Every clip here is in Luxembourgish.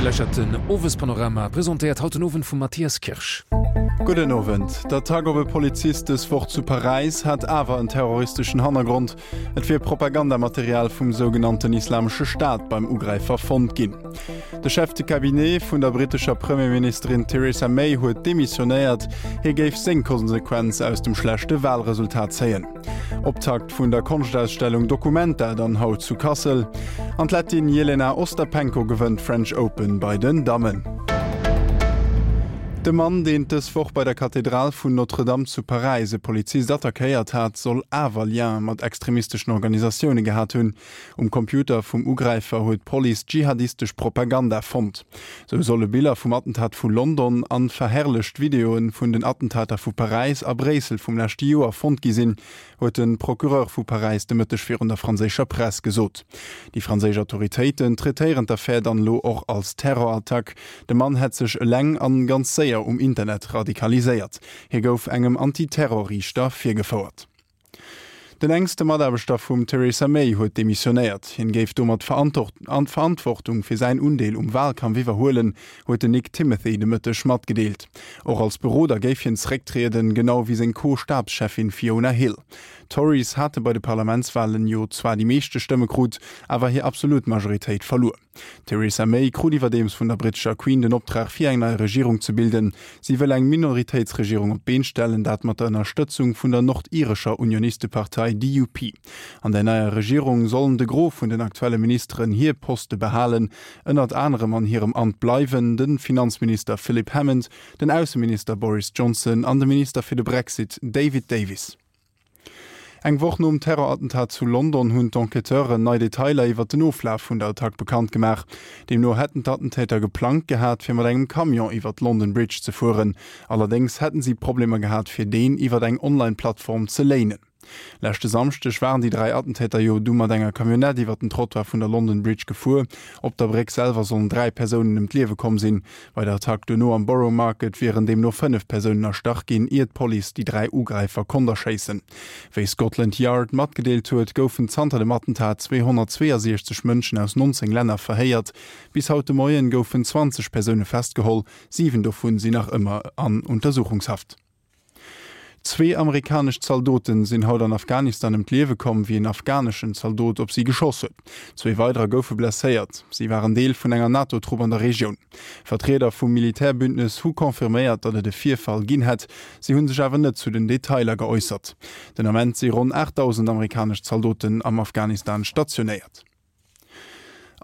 Dir lauschtert den Owespanorama, presentéiert haut den Owend vum Mathias Kirsch. Gudden Owend. D'Attack op e Polizist dës Woch zu Paräis hat awer en terroristeschen Hannergrond. Et wier Propagandamaterial vum sougenannten Islamesche Staat beim Ugräifer fonnt ginn. De Chef de Cabinet vun der brittescher Premierministerin Theresa May huet demissionéiert. Hie géif seng Konsequenz aus dem schlechte Walresultat zéien. Optakt vun der Konschtausstellung Documenta dann haut zu Kassel. An d'Lettin Jelena Ostapenko gewënnt d'French Open bei den Dammen. De Mann, deen dës Woch bei der Kathedral vun Notre-Dame zu Paräis e Polizist attackéiert hat, soll awer Lien mat extremisteschen Organisatioune gehat hunn. Um Computer vum Ugräifer huet d'Police dschihadistesch Propaganda fonnt. Sou solle Biller vum Attentat vu London an verherrlecht Videoe vun den Attentater vu Paräis a Bréissel vum leschte Joer fonnt gi sinn, huet de Procureur vu Paräis de Mëtteg virun der franséischer Press gesot. Déi franséisch Autoritéiten traitéieren d'Affär dann elo och als Terrorattack. De Mann hätt sech eleng an ganz séier um Internet radikaliséiert. Hie gouf engem Anti-Terror-Riichter virgefouert. Den enkste Mataarbechter vum Theresa May huet demissionéiert. Hien géif domat d'Verantwortung fir säin Undeel um Walkampf iwwerhuelen, huet den Nick Timothy de Mëtteg matgedeelt. Och als Beroder géif hien zerécktrieden, genau wéi seng Co-Stabscheffin Fiona Hill. D'Tories hate bei de Parlamentswalen jo zwar déi meeschte Stëmme krut, awer hir absolut Majoritéit verluer. D'Theresa May krut iwwerdeems vun der brittescher Queen den Optrag fir eng nei Regierung ze bilden. Si wëll eng Minoritéitsregierung op d'Been stellen, dat mat der Ënnerstëtzung vun der nordirescher Unionistepartei DUP. An der neier Regierung sollen de Gros vun den aktuelle Ministeren hir Poste behalen. Ënnert anerem an hirem Amt bleiwen de Finanzminister Philip Hammond, den Ausseminister Boris Johnson an de Minister fir de Brexit David Davis. Eng Woch nom Terrorattentat zu London hunn d'Enquêteuren nei Detailer iwwer den Oflaf vun der Attack bekannt gemaach. Deemno hätten d'Attentäter geplangt gehat, fir mat engem Camion iwwer d'London Bridge ze fueren. Allerdéngs hätten si Problemer gehat, fir deen iwwer eng Online-Plattform ze léinen. Leschte Samschdeg waren déi 3 Attentäter jo du mat enger Camionnette iwwer den Trottoir vun der London Bridge gefuer. Op der Bréck selwer sollen 3 Persounen ëm d'Liewe komm sinn. Bei der Attack duerno am Borough Market wieren deemno 5 Persounen erstach ginn, ier d'Police déi 3 Ugräifer konnt erschéissen. Wéi Scotland Yard matgedeelt huet, goufen zanter dem Attentat 262 Mënschen aus 19 Länner verhéiert. Bis haut de Moien goufen 20 Persoune festgeholl, 7 dovun sinn nach ëmmer an Untersuchungshaft. Zwee amerikanesch Zaldoten sinn haut an Afghanistan ëm d'Liewe komm, wéi en afghaneschen Zaldot op si geschoss huet. Zwee weiderer goufe blesséiert. Si waren Deel vun enger NATO-Trupp an der Regioun. Vertrieder vum Militärbündnes hu confirméiert, datt et e Virfall ginn hätt. Si hu sech awer net zu den Detailer geäussert. Den Ament si ronn 8.000 amerikanesch Zaldoten am Afghanistan stationéiert.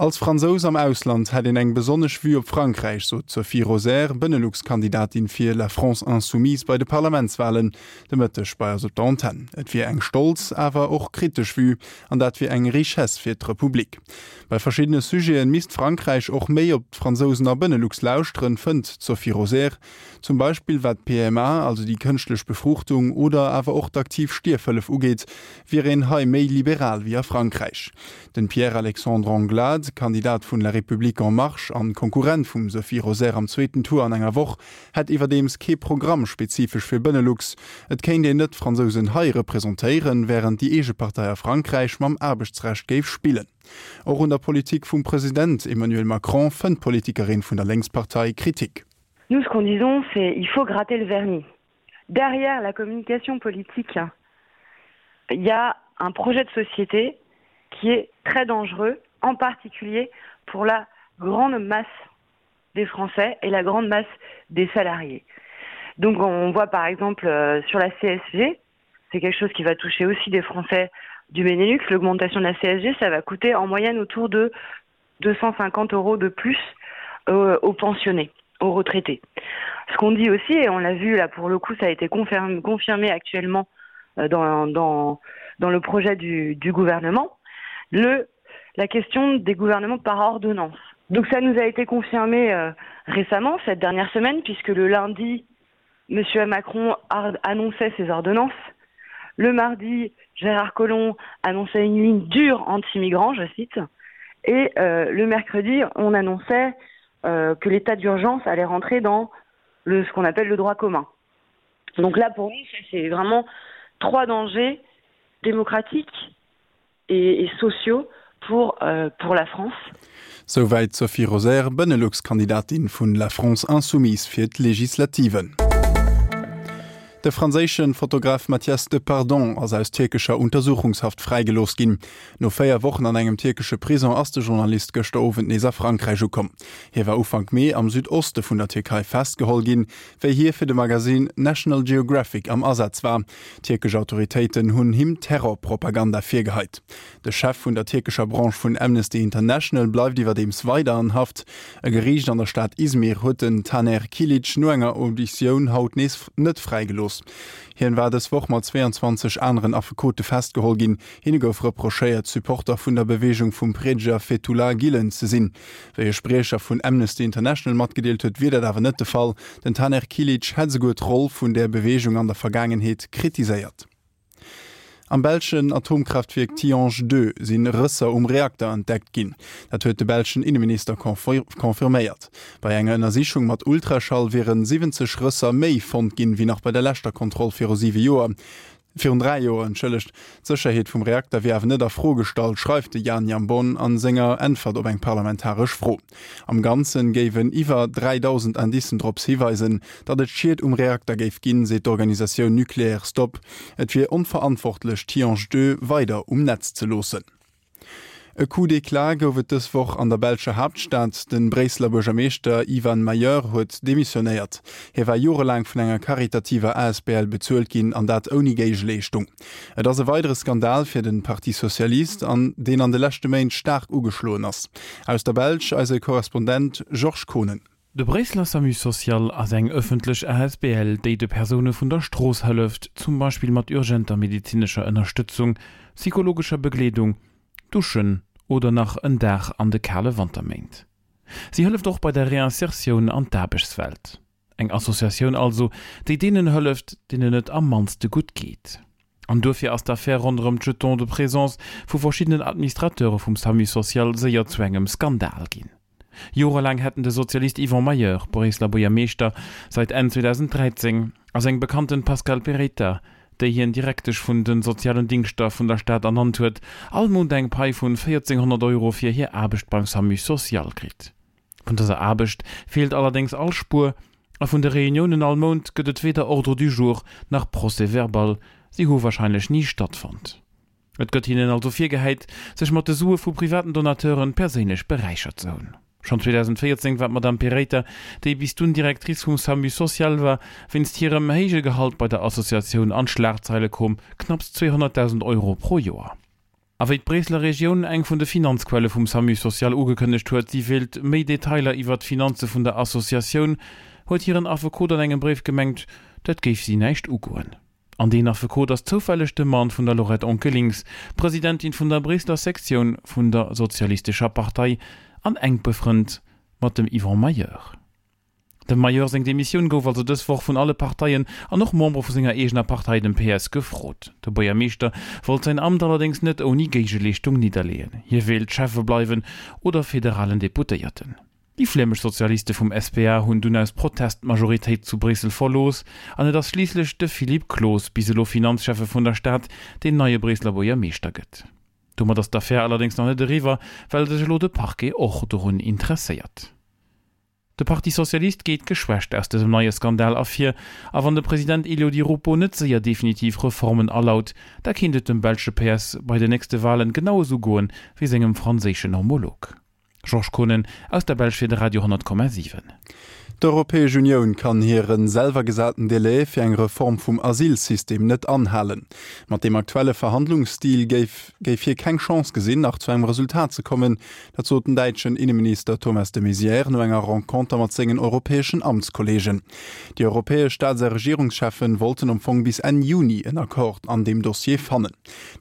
Als Fransous am Ausland hätt een eng besonnesch Vue op Frankräich, sot d'Sophie Rosaire, Benelux-Kandidatin fir La France Insoumise bei de Parlamentswalen de Mëtteg bei eis op der Antenn. Et wier eng stolz, awer och kritesch Vue an dat wier eng Richesse fir d'Republik. Bei verschiddene Sujete misst Frankräich och méi op d'Fransousen a Benelux lauschteren, fënnt d'Sophie Rosaire. Zum Beispill wat d'PMA, also déi kënschtlech Befruchtung, oder awer och d'aktiv Stierfhëllef ugeet, wier een hei méi liberal wéi a Frankräich. Den Pierre-Alexandre Anglade, Kandidat vun La République En Marche an Konkurrent vum Sophie Rosaire am zweeten Tour an enger Woch, hätt iwwerdeems kee Programm spezifesch fir Benelux. Et kéint een net d'Fransousen hei representéieren, wärend déi eege Partei a Frankräich mam Aarbechtsrecht géif spillen. Och un der Politik vum President Emmanuel Macron fënnt d'Politikerin vun der Lénkspartei Kritik. Nous, ce qu'on disons, c'est il faut gratter le vernis. Derrière la communication politique, il y a un projet de société qui est très dangereux, en particulier pour la grande masse des Français et la grande masse des salariés. Donc on voit par exemple euh, sur la CSG, c'est quelque chose qui va toucher aussi des Français du Benelux, l'augmentation de la CSG, ça va coûter en moyenne autour de 250 euros de plus euh, aux pensionnés, aux retraités. Ce qu'on dit aussi, et on l'a vu là pour le coup, ça a été confirmé, confirmé actuellement euh, dans, dans, dans le projet du, du gouvernement, le, la question des gouvernements par ordonnance. Donc ça nous a été confirmé euh, récemment, cette dernière semaine, puisque le lundi, M. Macron annonçait ses ordonnances. Le mardi, Gérard Collomb annonçait une ligne dure anti-migrants, je cite. Et euh, le mercredi, on annonçait euh, que l'état d'urgence allait rentrer dans le, ce qu'on appelle le droit commun. Donc là, pour nous, c'est vraiment trois dangers démocratiques et, et sociaux. Pour, euh, pour la France. Souwäit d'Sophie Rosaire, Benelux-Kandidatin vun La France Insoumise fir d'Legislativen. De franséische Fotograf Mathias Depardon ass aus tierkescher Untersuchungshaft fräigelooss ginn. No 4 Wochen an engem tierkesche Prison ass de Journalist gëschter Owend nees a Frankräich ukomm. Hie war Ufank Mee am Südoste vun der Tierkei festgeholl ginn, wéi hie fir de Magasinn National Geographic am Asaz war. Tierkesch Autoritéiten hunn him Terrorpropaganda virgeheit. De Chef vun der tierkescher Branche vun Amnesty International bleift iwwerdeems weider an Haft. E Geriicht an der Stad Izmir huet den Taner Kilic no enger Auditioun haut nees net fräigelooss. Hien war dës Woch mat 22 aneren Affekote festgeholl ginn. Hinne gouf reprochéiert, Supporter vun der Beweegung vum Priedeger Fethullah Gülen ze sinn. Wéi e Spriecher vun Amnesty International matgedeelt huet, wier dat awer net de Fall. Den Taner Kilic hätt esouguer d'Roll vun där Beweegung an der Vergaangenheet kritiséiert. Am belschen Atomkraaftwierk Tihange 2 si Rësser um Reakter entdeckt ginn. Dat huet de belschen Inneminister confirméiert. Bei enger Ënnersichung mat Ultraschall wiere 70 Rësser méi fonnt ginn, wéi nach bei der leschter Kontroll viru siwe Joer. Virun 3 Joer, entschëllegt. D'Sécherheet vum Reakter wier awer net a Fro gestallt, schreift de Jan Jambon a senger Äntwert op eng parlamentaresch Fro. Am Ganzen géiwen iwwer 3.000 Indicen drops hiweisen, datt et Schied um Reakter géif ginn, seet d'Organisatioun Nucleaire Stop. Et wier onverantwortlech, Tihange 2 weider um Netz ze loossen. E Coup d'éclat gouf et dës Woch an der belscher Haaptstad. De Bréisseler Buergermeeschter Ivan Mayeur huet demissionéiert. Hie war jorelaang vun enger karitativer asbl bezuelt ginn, an dat ouni Géigeleeschtung. Et ass e weidere Skandal fir de Parti Socialiste, an deen an de leschte Méint staark ugeschloen ass. Aus der Belsch eise Korrespondent Georges Kohnen. De Bréisseler Samu Social ass eng ëffentlech asbl, déi de Persoune vun der Strooss hëlleft, zum Beispill mat urgenter medezinescher Ënnerstëtzung, psychologescher Begleedung, Duschen oder nach en Daach an de kale Wanterméint. Si hëlleft och bei der Reinsertioun an d'Aarbechtswelt. Eng Associatioun also, déi deenen hëlleft, deenen et am mannste gutt geet. An duerfir ass d'Affär ronderëm d'Jetons de présence vu verschiddenen Administrateure vum Samu Social séier zu engem Skandal ginn. Jorelaang hätten de Sozialist Yvon Mayeur, Bréisseler Buergermeeschter seit Enn 2013, a seng Bekannten Pascale Pereyta, déi hien Direktesch vun de sozialen Dingschter vun der Stad ernannt huet, all Mount eng Pai vun 1.400 Euro fir hir Aarbecht beim Samu Social kritt. Vun dëser Aarbecht feelt allerdéngs all Spuer a vun de Reuniounen all Mount gëtt et weder Ordre du jour nach Procès-verbal, si hu warscheinlech ni stattfonnt. Et gëtt hinnen also virgehäit, sech mat de Sue vu privaten Donateuren perséinlech beräichert ze hunn. Schonn 2014 war d'Madame Pereita, déi bis dunn Directrice vum Samu Social war, wéinst hirem héije Gehalt bei der Associatioun an d'Schlagzeile koom, knapps 200.000 Euro pro Joer. A wéi d'Bréisseler Regioun, eng vun de Finanzquelle vum Samu Social, ugekënnegt huet, si wéilt méi Detailer iwwert d'Finanze vun der Associatioun, huet hiren Affekot an engem Bréif gemengt, dat géif si näischt ugoen. An deen Affekot ass zoufälleg de Mann vun der Laurette Onkelinx, Presidentin vun der Bréisseler Sektioun vun der Sozialistescher Partei an enk befrënnt mat dem Yvon Mayeur. Dem Mayeur seng Demissioun gouf also dës Woch vun alle Parteien an och Membere vu senger eegener Partei, dem PS, gefrot. De Buergermeeschter wollt säin Amt allerdéngs net ouni Géigeleeschtung nidderleeën. Hie wéilt Schäffe bleiwen oder federalen Deputéierten. Déi flämesch Sozialiste vum SPA hunn dunn aus Protest d'Majoritéit zu Bréissel verlooss an et ass schliisslech de Philippe Close, bis elo Finanzschäffe vun der Stad, deen neie Bréisseler Buergermeeschter gëtt. Domat ass d'Affär allerdéngs nach net eriwwer, well sech elo de Parquet och dorun interesséiert. De Parti Socialiste geet geschwächt aus dësem neie Skandal ervir a wann de President Elio Di Rupo net séier definitiv Reformen alaut, da kéint et dem belsche PS bei den nächste Walen genau esou goen, wéi sengem franséischen Homolog. Georges Kohnen aus der Belsch fir de Radio 10,7. D'Europäesch Unioun kann hire selwer gesaten Delai fir eng Reform vum Asylsystem net anhalen. Mat deem aktuelle Verhandlungsstil géif géif hie keng Chance gesinn, nach zu engem Resultat ze kommen. Dat sot den däitschen Inneminister Thomas de Maizière no enger Renconter mat sengen europäeschen Amtskolleegen. Déi europäesch Staats a Regierungscheffen wollten am Fong bis Enn Juni en Accord an deem Dossier fannen.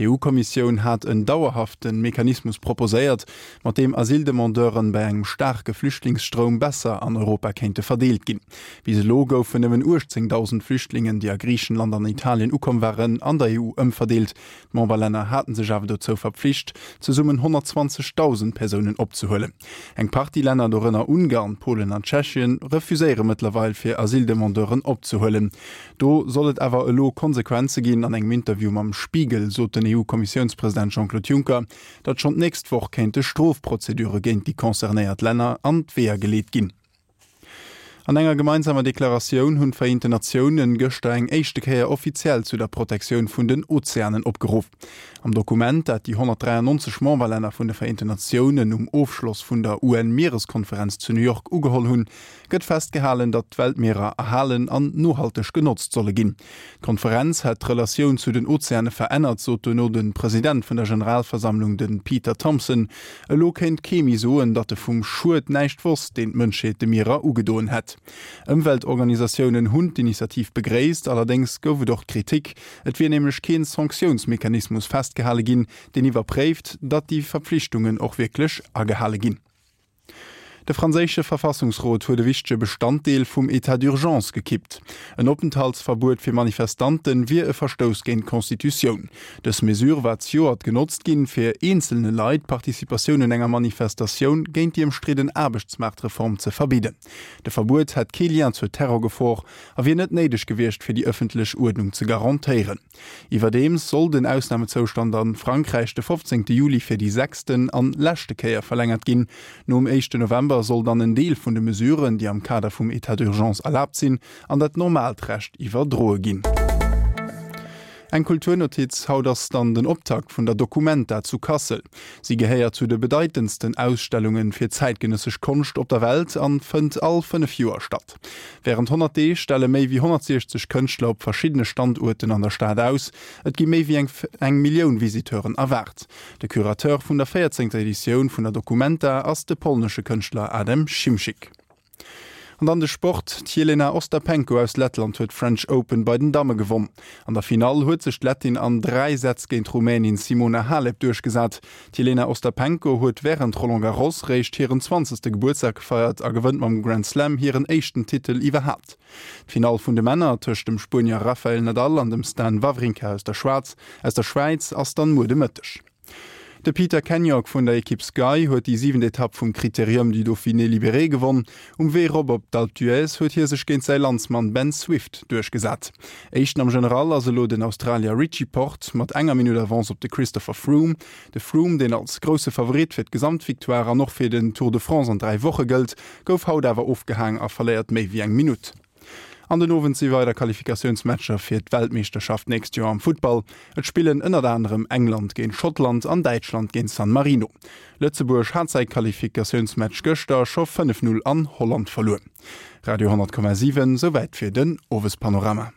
D'EU-Kommissioun hat en dauerhafte Mechanismus proposéiert, mat deem Asyldemandeuren bei engem staarke Flüchtlingsstroum besser an Europa kéinte. verdeelt ginn. Bis elo goufen nëmmen 18.000 Flüchtlingen, déi a Griichenland an Italien ukomm waren, an der EU ëmverdeelt. D'Memberlänner haten sech awer dozou verpflicht, zesummen 120.000 Persounen opzehuelen. Eng Partie Länner, dorënner Ungarn, Polen an Tschechien, refuséiere mëttlerweil, fir Asyldemandeuren opzehuelen. Do soll et awer elo Konsequenze ginn. An engem Interview mam Spiegel sot den EU-Kommissiounspresident Jean-Claude Juncker, datt schonn d'nächst Woch kéinte Strofprozedure géint déi concernéiert Länner an d'Weeër geleet ginn. An enger gemeinsamer Deklaratioun hunn d'Vereenten Natiounen gëschter eng éischte Kéier offiziell zu der Protektioun vun den Ozeanen opgeruff. Am Dokument, dat déi 193 Memberlänner vun de Vereenten Natiounen um Ofschloss vun der UN-Miereskonferenz zu New York ugeholl hunn, gëtt festgehalen, datt d'Weltmierer erhalen an nohalteg genotzt solle ginn. D'Konferenz hätt d'Relatioun zu den Ozeane verännert, sot duerno de President vun der Generalversammlung, de Peter Thomson. Elo kéint kee méi soen, datt e vum Schued näischt wosst, deen d'Mënschheet de Mierer ugedoen hätt. Ëmweltorganisatiounen hunn d'Initiativ begréisst, allerdéngs gouf et och Kritik. Et wier nämlech keen Sanktiounsmechanismus festgehale ginn, deen iwwerpréift, datt déi Verpflichtungen och wierklech agehale ginn. De franséische Verfassungsrot huet e wichtege Bestanddeel vum Etat d'urgence gekippt. En Openthaltsverbuet fir Manifestante wier e Verstouss géint d'Constitutioun. Dës Mesure war zejoert genotzt ginn, fir eenzelne Leit d'Participatioun un enger Manifestatioun géint déi ëmstridden Aarbechtsmaartreform ze verbidden. De Verbuet hätt kee Lien zur Terrorgefor a wier net néideg gewiescht, fir déi ëffentlech Uerdnung ze garantéieren. Iwwerdeems soll den Ausnamezoustand a Frankräich de 15 Juli fir déi sechsten an leschte Kéier verlängert ginn. Nom éischten November soll dann en Deel vun de Mesuren, déi am Kader vum Etat d'urgence erlaabt sinn, an dat normaalt Recht iwwerdroe ginn. Eng Kulturnotiz, Haut ass dann den Optakt vun der Documenta zu Kassel. Si gehéiert zu de bedeitendsten Ausstellunge fir zäitgenëssesch Konscht op der Welt an fënnt all 5 Joer statt. Wärend 100 Deeg stelle méi wéi 160 Kënschtler op verschiddene Standuerten an der Stad aus. Et gi méi wéi eng eng Millioun Visiteuren erwaart. De Curateur vun der véierzéngter Editioun vun der Documenta ass de polnesche Kënschtler Adam Szymczyk. An dann de Sport, D'Jelena Ostapenko aus Lettland huet d'French Open bei den Damme gewonn. An der Finall huet sech d'Lettin an 3 Sätz géint d'Rumänin Simona Halep duerchgesat. D'Jelena Ostapenko huet wärend Roland Garros réischt hiren zwanzegste Gebuertsdag gefeiert a gewënnt mam Grand Slam hiren éischten Titel iwwerhaapt. D'Finall vun de Männer tëscht dem Spuenier Rafael Nadal an dem Stan Wawrinka aus der Schwaarz aus der Schwäiz ass dann muer de Mëtteg. De Peter Kennaugh vun der Ekipp Sky huet déi siwent Etapp vum Critérium du Dauphiné Libéré gewonn. Um Wee rop op d'Alpe d'Huez huet hie sech géint säi Landsmann Ben Swift duerchgesat. Éischten am General ass elo den Australier Richie Porte mat enger Minutt Avance op de Christopher Froome. De Froome, deen als grousse Favorit fir d'Gesamtvictoire an och fir den Tour de France an 3 Woche gëllt, gouf haut awer ofgehaang a verléiert méi wéi eng Minutt. An den Owend si weider Qualifikatiounsmatcher fir d'Weltmeeschterschaft d'nächst Joer am Futtball. Et spillen ënnert anerem England géint Schottland an Däitschland géint San Marino. Lëtzebuerg hat säi Qualifikatiounsmatch gëschter scho 5, 0 an Holland verluer. Radio 10,7, Souwäit fir den Owespanorama.